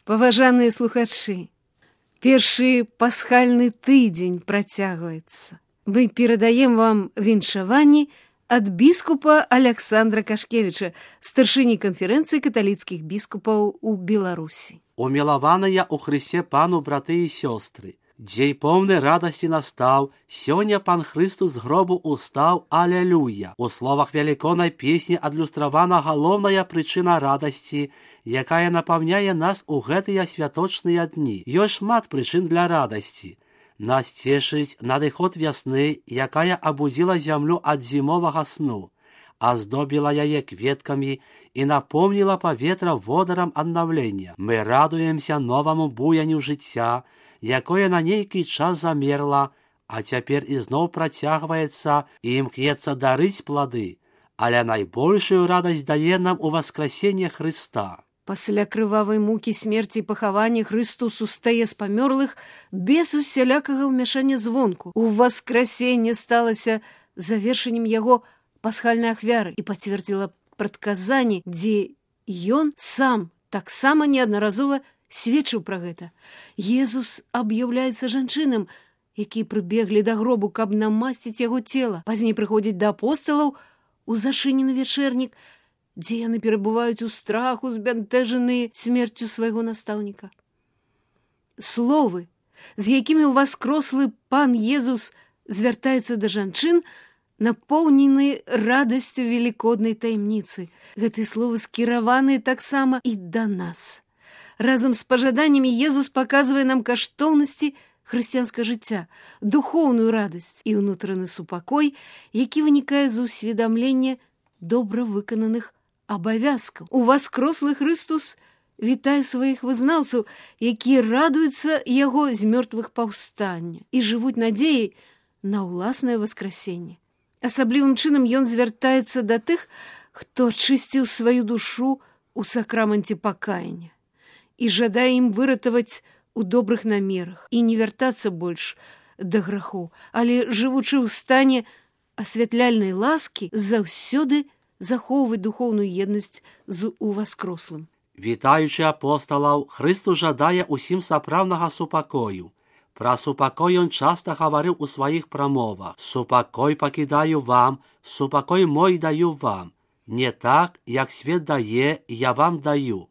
Паважаныя слухачы, першы пасхальны тыдзень працягваецца. Мы перадаем вам віншаванні ад біскупа Аляксандра Кашкевіча, старшыні канферэнцыі каталіцкіх біскупаў у Беларусі. Умілаваныя ў Хрысце пану браты і сёстры, дзень поўны радасці настаў, сёння пан Хрыстус з гробу устаў, алелюя. У словах велікоднай песні адлюстравана галоўная прычына радасці, якая напаўняе нас у гэтыя святочныя дні. Ёсць шмат прычын для радасці. Нас цешыць надыход вясны, якая абудзіла зямлю ад зімовага сну, аздобіла яе кветкамі і напомніла паветра водарам аднаўлення. Мы радуемся новаму буяню жыцця, якое на нейкі час замерла, а цяпер ізноў працягваецца і імкнецца дарыць плады, але найбольшую радасць дае нам у васкрасенне Хрыста. Пасля крывавай мукі смерці і пахавання Хрыстус устае з памёрлых без усялякага ўмяшання звонку. У васкрасенне сталася завершэннем яго пасхальнай ахвяры і пацвердзіла прадказанні, дзе ён сам таксама неаднаразова сведчыў пра гэта. Езус аб'яўляецца жанчынам, якія прыбеглі да гробу, каб намасціць яго цела. Пазней прыходзіць да апосталаў у зашынены вячэрнік, дзе яны перабываюць у страху, збянтэжаныя смерцю свайго настаўніка. Словы, з якімі ўваскрослы пан Езус звяртаецца да жанчын, напоўнены радасцю велікоднай таямніцы. Гэтыя словы скіраваныя таксама і да нас. Разам з пажаданнямі Езус паказвае нам каштоўнасці хрысціянскага жыцця, духоўную радасць і ўнутраны супакой, які вынікае з усведамлення добра выкананых абавязкаў. Уваскрослы Хрыстус вітае сваіх вызнаўцаў, якія радуюцца яго з мёртвых паўстання і жывуць надзеяй на ўласнае васкрасенне. Асаблівым чынам ён звяртаецца да тых, хто ачысціў сваю душу у сакраманце пакаяння і жадае ім выратаваць у добрых намерах і не вяртацца больш да граху, але, жывучы ў стане асвятляльнай ласкі, заўсёды захоўваць духоўную еднасць з уваскрослым. Вітаючы апосталаў, Хрыстус жадае усім сапраўднага супакою. Пра супакой ён часта гаварыў у сваіх прамовах. «Супакой пакідаю вам, супакой мой даю вам. Не так, як свет дае, я вам даю».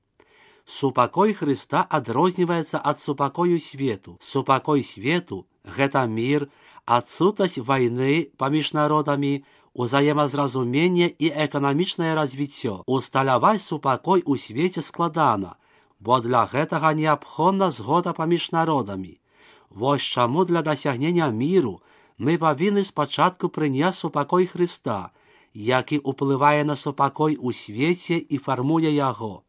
Супакой Хрыста адрозніваецца ад супакою свету. Супакой свету – гэта мір, адсутнасць вайны паміж народамі, узаемазразумение і эканамічнае развіццё. Усталяваць супакой у свеце складана, бо для гэтага неабходна згода паміж народамі. Вось чаму для дасягнення міру мы павінны спачатку прыняць супакой Хрыста, які ўплывае на супакой у свеце і фармуе яго.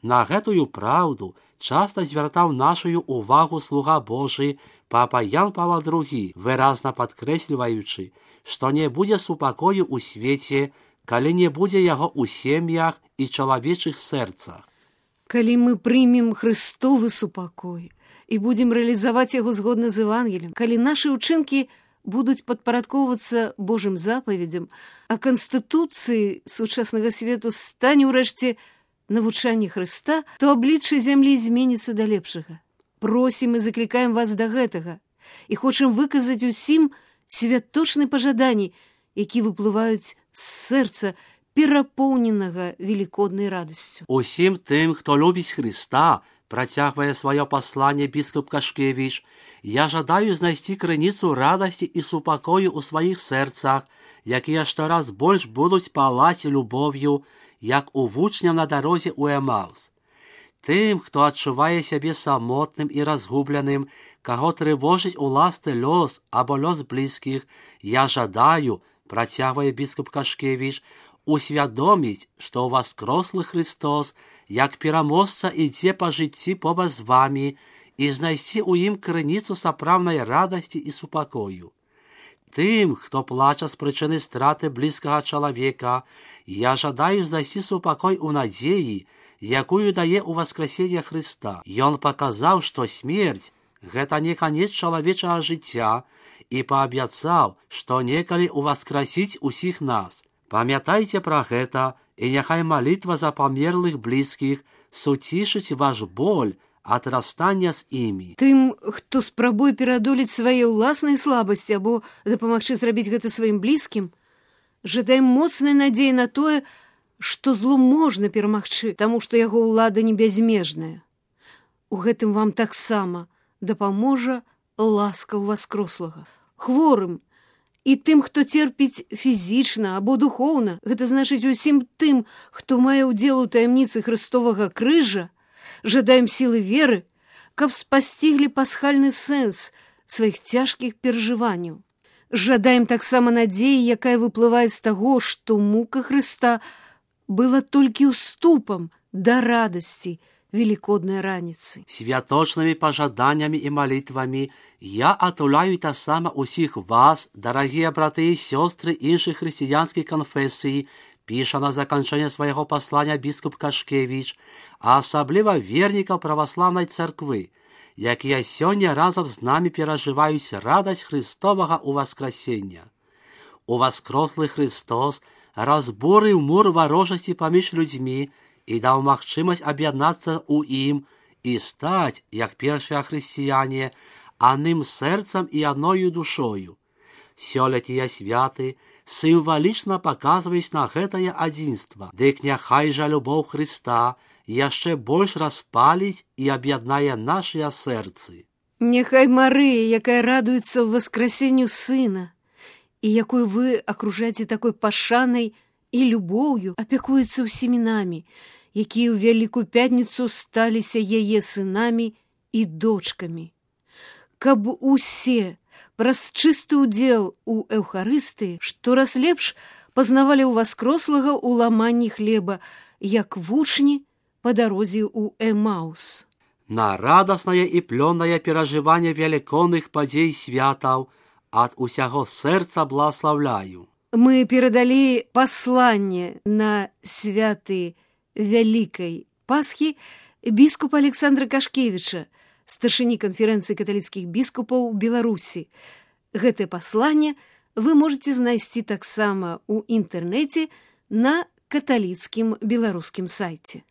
На гэтую праўду часта звяртаў нашую увагу слуга Божы папа Ян Павел II, выразна падкрэсліваючы, што не будзе супакою ў свеце, калі не будзе яго ў сем'ях і чалавечых сэрцах. Калі мы прымем Хрыстовы супакой і будзем рэалізаваць яго згодна з Евангеліем, калі нашы ўчынкі будуць падпарадкоўвацца Божым запаведзям, а канстытуцыі сучаснага свету стане ўрэшце навучанне Хрыста, то аблічча зямлі зменіцца да лепшага. Просім і заклікаем вас да гэтага і хочам выказаць усім святочны пажаданні, які выплываюць з сэрца, перапоўненага велікоднай радасцю. Усім тым, хто любіць Хрыста, працягвае сваё пасланне біскуп Кашкевіч, я жадаю знайсці крыніцу радасці і супакою ў сваіх сэрцах, якія штораз больш будуць палаць любоўю, як у вучняў на дарозе ў Эмаус. Тым, хто адчувае сябе самотным і разгубленым, каго трывожыць уласны лёс або лёс блізкіх, я жадаю, працягвае біскуп Кашкевіч, усвядоміць, што ўваскрослы Хрыстос, як пераможца ідзе па жыцці побач з вамі і знайсці ў ім крыніцу сапраўднай радасці і супакою. Тым, хто плача з прычыны страты блізкага чалавека, я жадаю знайсці супакой у надзеі, якую дае ў васкрасенне Хрыста. Ён паказаў, што смерць – гэта не канец чалавечага жыцця і паабяцаў, што некалі ўваскрасіць усіх нас. Памятайце пра гэта, і няхай малітва за памерлых блізкіх суцішыць ваш боль адрастання з імі. Тым, хто спрабуе пераадолець свае ўласныя слабасці або дапамагчы зрабіць гэта сваім блізкім, жадаем моцнай надзеі на тое, што зло можна перамагчы, таму што яго ўлада не бязмежная. У гэтым вам таксама дапаможа ласка ўваскрослага. Хворым і тым, хто церпіць фізічна або духоўна, гэта значыць усім тым, хто мае ўдзел у таямніцы Хрыстовага крыжа, жадаем сілы веры, каб спасціглі пасхальны сэнс сваіх цяжкіх перажыванняў. Жадаем таксама надзеі, якая выплывае з таго, што мука Хрыста была толькі ўступам да радасці Великодной раніцы. Святочнымі пажаданнямі і малітвамі я атуляю таксама усіх вас, дарагія браты і сёстры іншых хрысціянскіх канфесій, піша на заканчэнне свайго паслання біскуп Кашкевіч, а асабліва вернікаў праваслаўнай царквы, якія сёння разам з намі перажываюць радасць Христовага ўваскрасення. Уваскрослы Христос разбурыў мур варожасці паміж людзьмі і даў магчымасць аб'яднацца ў ім і стаць, як першыя хрысціяне, адным сэрцам і адною душою. Сёлетнія святы сімвалічна паказваюць на гэтае адзінства, дык няхай жа любоў Хрыста яшчэ больш распаліць і аб'яднае нашыя сэрцы. Няхай Марыя, якая радуецца воскресенню Сына, і якую вы акружаеце такой пашанай і любоўю, апякуецца ўсімі намі, якія ў Вялікую Пятніцу сталіся яе сынамі і дочкамі. Каб усе праз чысты ўдзел у Эўхарыстыі штораз лепш пазнавалі ўваскрослага ў ламанні хлеба, як вучні па дарозе ў Эмаус. На радаснае і плённае перажыванне велікодных падзей святаў ад усяго сэрца благаслаўляю. Мы перадалі пасланне на святы Вялікай Пасхі біскупа Александра Кашкевіча, старшыні канферэнцыі каталіцкіх біскупаў Беларусі. Гэтае пасланне вы можаце знайсці таксама ў інтэрнэце на каталіцкім беларускім сайце.